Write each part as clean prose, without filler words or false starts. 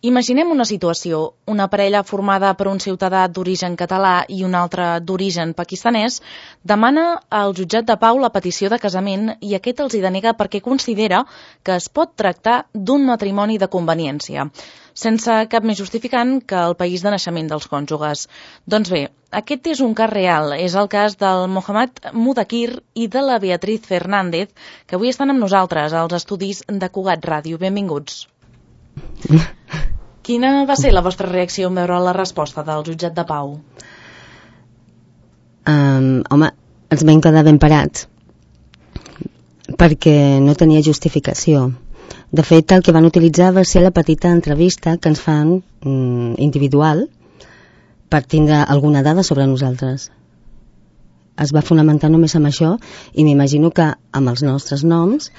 Imaginem una situació, una parella formada per un ciutadà d'origen català i un altre d'origen pakistanès demana al jutjat de pau la petició de casament i aquest els hi denega perquè considera que es pot tractar d'un matrimoni de conveniència, sense cap més justificant que el país de naixement dels cònjuges. Doncs bé, aquest és un cas real, és el cas del Mohammad Mudakir i de la Beatriz Fernández, que avui estan amb nosaltres als estudis de Cugat Ràdio. Benvinguts. Quina va ser la vostra reacció en veure la resposta del jutjat de pau? Home, ens vam quedar ben parats perquè no tenia justificació. De fet, el que van utilitzar va ser la petita entrevista que ens fan individual per tindre alguna dada sobre nosaltres. Es va fonamentar només amb això i m'imagino que amb els nostres noms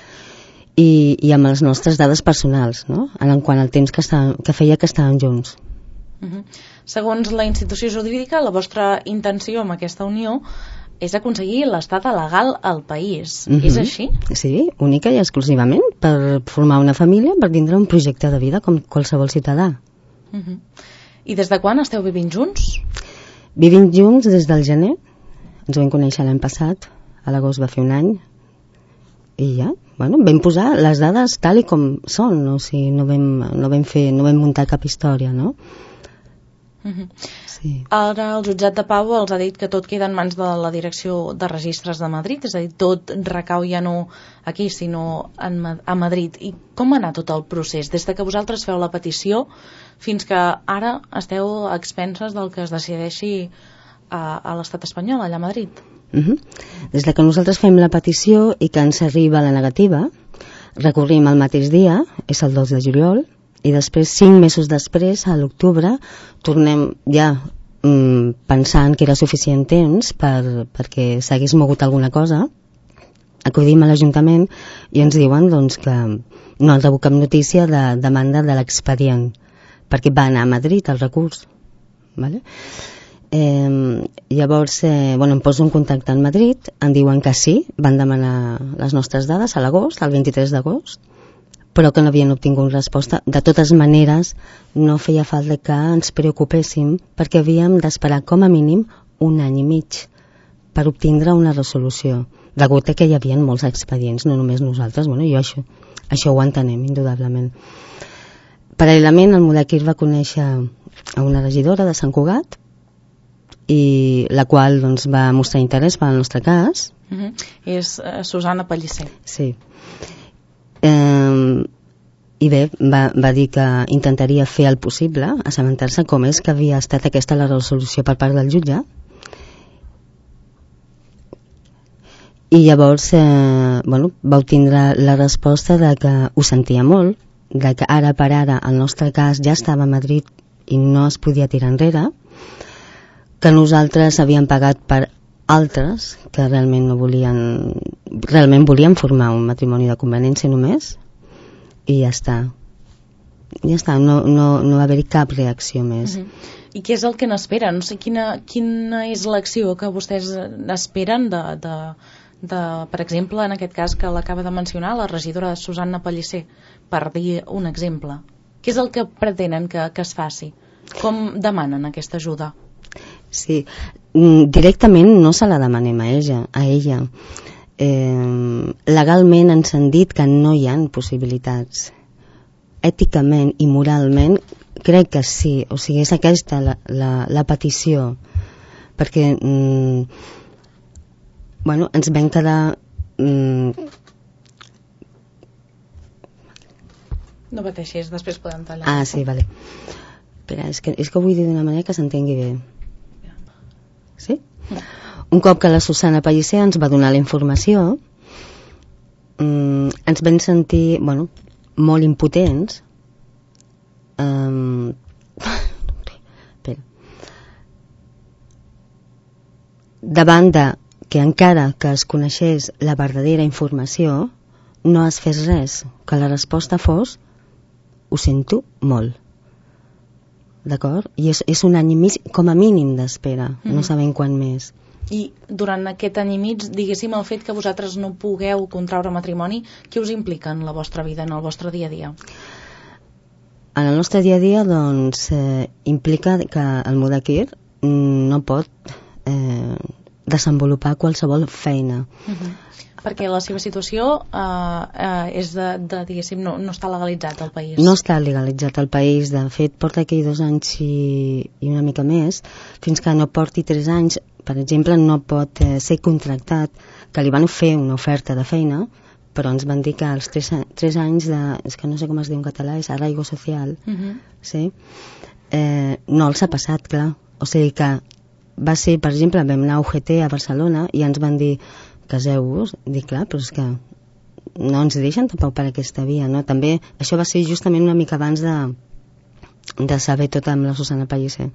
i amb les nostres dades personals, no? En quant al temps que feia que estàvem junts. Segons la institució jurídica, la vostra intenció amb aquesta unió és aconseguir l'estada legal al país. És així? Sí, única i exclusivament per formar una família, per tindre un projecte de vida com qualsevol ciutadà. I des de quan esteu vivint junts? Vivim junts des del gener. Ens vam conèixer l'any passat, a l'agost va fer un any, i ja, bueno, vam posar les dades tal i com són, o sigui, no vam muntar cap història, no? Sí. Ara el jutjat de pau els ha dit que tot queda en mans de la Direcció de Registres de Madrid, és a dir, tot recau ja no aquí, sinó a Madrid. I com va anar tot el procés? Des de que vosaltres feu la petició fins que ara esteu a expenses del que es decideixi a l'estat espanyol, allà a Madrid? Des de que nosaltres fem la petició i que ens arriba la negativa, recorrim el mateix dia, és el 2 de juliol, i després, 5 mesos després, a l'octubre, tornem ja pensant que era suficient temps perquè s'hagués mogut alguna cosa, acudim a l'Ajuntament i ens diuen doncs, que no han rebut cap notícia de demanda de l'expedient, perquè va anar a Madrid el recurs. Vale? Llavors em poso en contacte amb Madrid, em diuen que sí, van demanar les nostres dades a l'agost, el 23 d'agost, però que no havien obtingut resposta. De totes maneres, no feia falta que ens preocupéssim perquè havíem d'esperar com a mínim 1 any i mig per obtindre una resolució, degut a que hi havia molts expedients, no només nosaltres. Bueno, jo això ho entenem, indudablement. Paral·lelament, el Mudakir va conèixer a una regidora de Sant Cugat, i la qual doncs, va mostrar interès pel nostre cas. És Susana Pellicer. Sí. I bé, va dir que intentaria fer el possible, assabentar-se com és que havia estat aquesta la resolució per part del jutge. I llavors va obtindre la resposta de que ho sentia molt, de que ara per ara el nostre cas ja estava a Madrid i no es podia tirar enrere, que nosaltres havíem pagat per altres que realment volien formar un matrimoni de conveniència només, i ja està, no va haver-hi cap reacció més. I què és el que n'esperen? O sigui, quina és l'acció que vostès esperen per exemple, en aquest cas que l'acaba de mencionar la regidora Susana Pellicer, per dir un exemple? Què és el que pretenen que es faci? Com demanen aquesta ajuda? Sí, directament no se la demanem a ella. Legalment ens han dit que no hi ha possibilitats. Èticament i moralment crec que sí, o sigui, és aquesta la petició, perquè ens vam quedar no pateixis, després podem tallar. Sí, vale. Espera, és que ho vull dir d'una manera que s'entengui bé. Sí? Un cop que la Susana Pellicer ens va donar la informació, ens vam sentir molt impotents. Davant de que encara que es coneixés la verdadera informació no es fes res, que la resposta fos ho sento molt. D'acord? I és un any i mig com a mínim d'espera, no sabem quan més. I durant aquest any i mig, diguéssim, el fet que vosaltres no pugueu contraure matrimoni, què us implica en la vostra vida, en el vostre dia a dia? En el nostre dia a dia, doncs, implica que el mudakir no pot desenvolupar qualsevol feina. Perquè la seva situació és diguéssim, no està legalitzat al país. No està legalitzat al país. De fet, porta aquí 2 anys i una mica més. Fins que no porti 3 anys, per exemple, no pot ser contractat, que li van fer una oferta de feina, però ens van dir que als 3 anys de... És que no sé com es diu en català, és arraigo social. Sí? No els ha passat, clar. O sigui que va ser, per exemple, vam anar a UGT a Barcelona i ens van dir caseu-vos. Dic, clar, però és que no ens deixen tampoc per aquesta via, no? També això va ser justament una mica abans de saber tot amb la Susana Pellicer.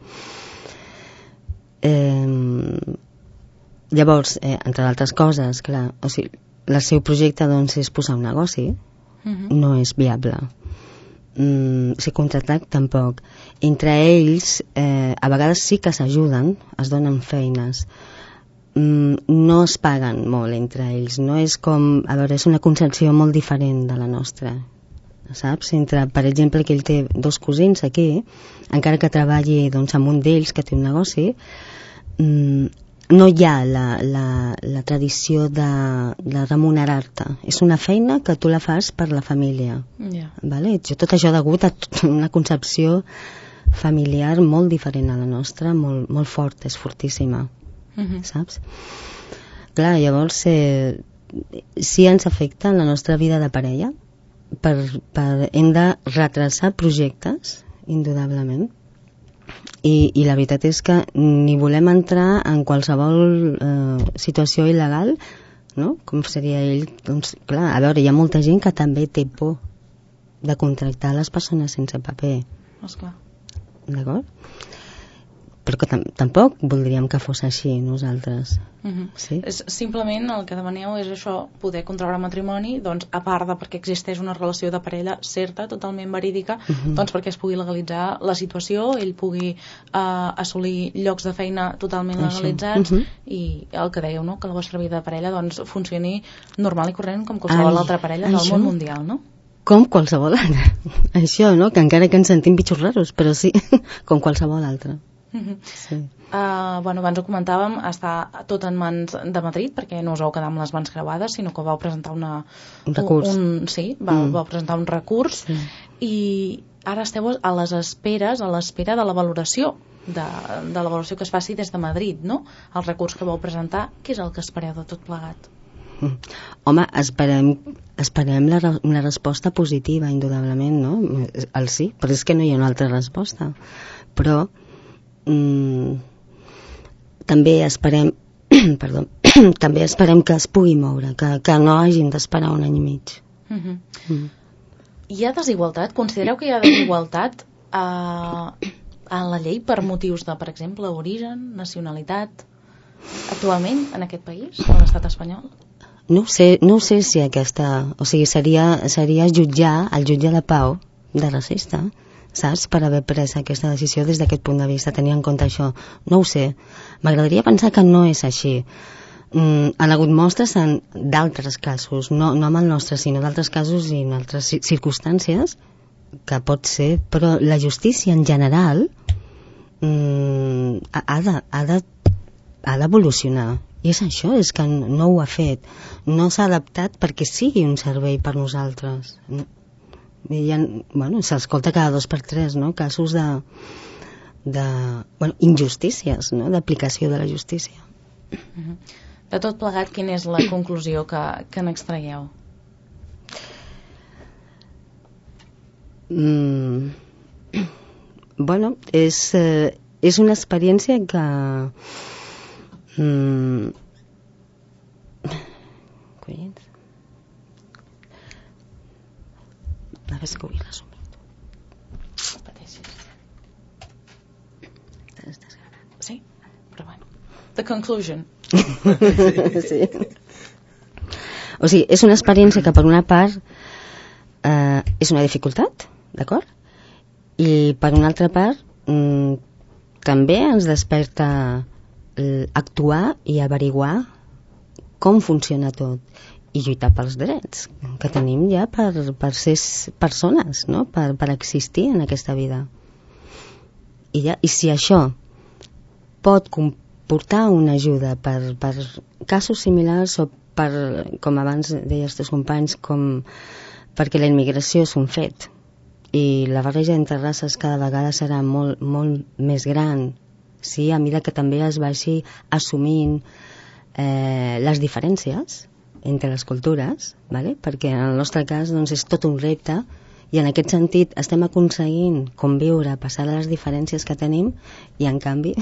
Llavors, entre altres coses, clar, o sigui, el seu projecte doncs és posar un negoci, no és viable. Ser contractat tampoc. Entre ells a vegades sí que s'ajuden, es donen feines, no es paguen molt entre ells, no és com, a veure, és una concepció molt diferent de la nostra, saps? Entre, per exemple, que ell té 2 cosins aquí, encara que treballi doncs amb un d'ells que té un negoci, no hi ha la tradició de remunerar-te. És una feina que tu la fas per la família. Vale? Tot això degut a una concepció familiar molt diferent a la nostra, molt forta, és fortíssima. Saps? Clar, llavors sí ens afecta en la nostra vida de parella, hem de retrasar projectes, indudablement. I la veritat és que ni volem entrar en qualsevol situació il·legal, no? Com seria ell, doncs, clar, a veure, hi ha molta gent que també té por de contractar les persones sense paper. Esclar. D'acord? Però que tampoc voldríem que fos així nosaltres. Sí? Simplement el que demaneu és això, poder contraure matrimoni, doncs, a part de perquè existeix una relació de parella certa, totalment verídica, doncs perquè es pugui legalitzar la situació, ell pugui assolir llocs de feina totalment legalitzats i el que dèieu, no? Que la vostra vida de parella doncs, funcioni normal i corrent com qualsevol altra parella del món mundial, no? Com qualsevol altra. Això, no? Que encara que ens sentim bitxos raros, però sí, com qualsevol altra. Sí. Bueno, abans ho comentàvem, està tot en mans de Madrid perquè no us vau quedar amb les mans creuades, sinó que vau presentar un recurs. Vau presentar un recurs i ara esteu a les esperes, a l'espera de la valoració de la valoració que es faci des de Madrid, no? El recurs que vau presentar, què és el que espereu de tot plegat? Home, esperem una resposta positiva, indudablement, no? El sí, però és que no hi ha una altra resposta. Però també esperem també esperem que es pugui moure, que no hàgim d'esperar 1 any i mig. Hi ha desigualtat? Considereu que hi ha desigualtat a la llei per motius de, per exemple, origen, nacionalitat, actualment en aquest país, a l'estat espanyol? No ho sé si aquesta... O sigui, seria jutjar el jutge de pau de racista, saps? Per haver pres aquesta decisió des d'aquest punt de vista, tenir en compte això. No ho sé. M'agradaria pensar que no és així. Han hagut mostres d'altres casos, no amb el nostre, sinó d'altres casos i en altres circumstàncies, que pot ser, però la justícia en general ha d'evolucionar. I és això, és que no ho ha fet. No s'ha adaptat perquè sigui un servei per nosaltres. S'escolta cada 2 per 3, no? Casos de injustícies, no? D'aplicació de la justícia. De tot plegat, quina és la conclusió que n'extraieu? Bueno, és una experiència que collons, a veure que ho he resumit. Pateixis. Estàs gravant? Sí, però bueno. The conclusion. Sí. O sigui, és una experiència que per una part és una dificultat, d'acord? I per una altra part també ens desperta actuar i averiguar com funciona tot i lluitar pels drets que tenim ja per ser persones, no? Per existir en aquesta vida. I si això pot comportar una ajuda per casos similars o com abans deia els teus companys, perquè la immigració és un fet i la barreja entre races cada vegada serà molt, molt més gran, sí, a mesura que també es vagi assumint les diferències entre les cultures, ¿vale? Perquè en el nostre cas doncs, és tot un repte i en aquest sentit estem aconseguint conviure, passar de les diferències que tenim i en canvi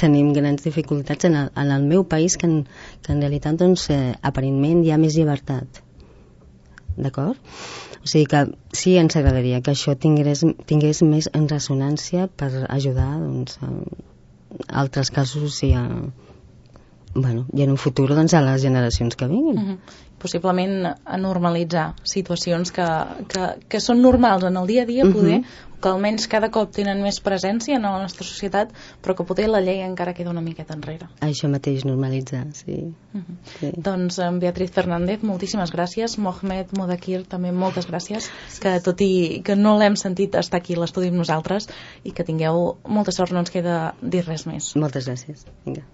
tenim grans dificultats en el meu país que en realitat doncs, aparentment hi ha més llibertat, d'acord? O sigui que sí, ens agradaria que això tingués més en ressonància per ajudar doncs, a altres casos i en un futur doncs, a les generacions que vinguin. Possiblement a normalitzar situacions que són normals en el dia a dia, poder, que almenys cada cop tenen més presència en la nostra societat, però que potser la llei encara queda una miqueta enrere. Això mateix, normalitzar, sí. Sí. Doncs Beatriz Fernández, moltíssimes gràcies. Mohamed Modakir, també moltes gràcies, que tot i que no l'hem sentit estar aquí a l'estudi amb nosaltres, i que tingueu molta sort, no ens queda dir res més. Moltes gràcies. Vinga.